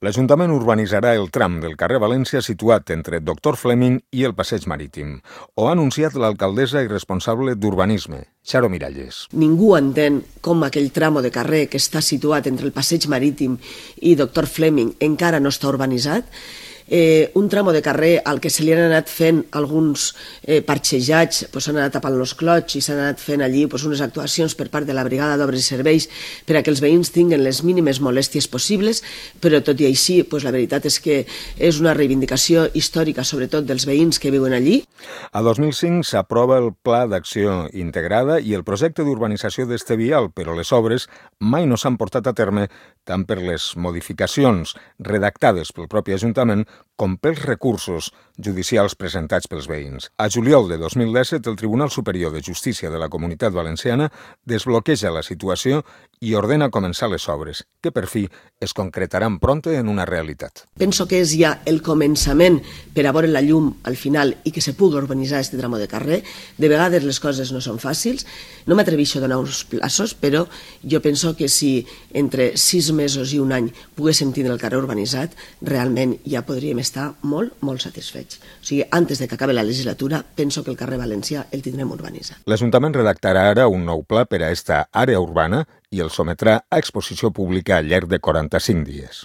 L'Ajuntament urbanitzarà el tram del carrer València situat entre Doctor Fleming i el Passeig Marítim. Ho ha anunciat l'alcaldessa i responsable d'Urbanisme, Xaro Miralles. Ningú entén com aquell tramo de carrer que està situat entre el Passeig Marítim i Doctor Fleming encara no està urbanitzat. Un tramo de carrer al que se li han anat fent alguns parxejats, s'han anat tapant els clots i s'han anat fent allí unes actuacions per part de la Brigada d'Obres i Serveis per a que els veïns tinguin les mínimes molèsties possibles, però tot i així la veritat és que és una reivindicació històrica sobretot dels veïns que viuen allí. A 2005 s'aprova el Pla d'Acció Integrada i el projecte d'urbanització d'este vial, però les obres mai no s'han portat a terme tant per les modificacions redactades pel propi Ajuntament com pels recursos judicials presentats pels veïns. A juliol de 2017, el Tribunal Superior de Justícia de la Comunitat Valenciana desbloqueja la situació i ordena començar les obres, que per fi es concretaran prompte en una realitat. Penso que és ja el començament per a veure la llum al final i que se pugui urbanitzar aquest tramo de carrer. De vegades les coses no són fàcils. No m'atreveixo a donar uns plaços, però jo penso que si entre 6 mesos i un any poguéssim tindre el carrer urbanitzat, realment ja podríem estar molt, molt satisfets. O sigui, antes de que acabi la legislatura, penso que el carrer Valencià el tindrem urbanitzat. L'Ajuntament redactarà ara un nou pla per a esta àrea urbana i el sometrà a exposició pública al llarg de 45 dies.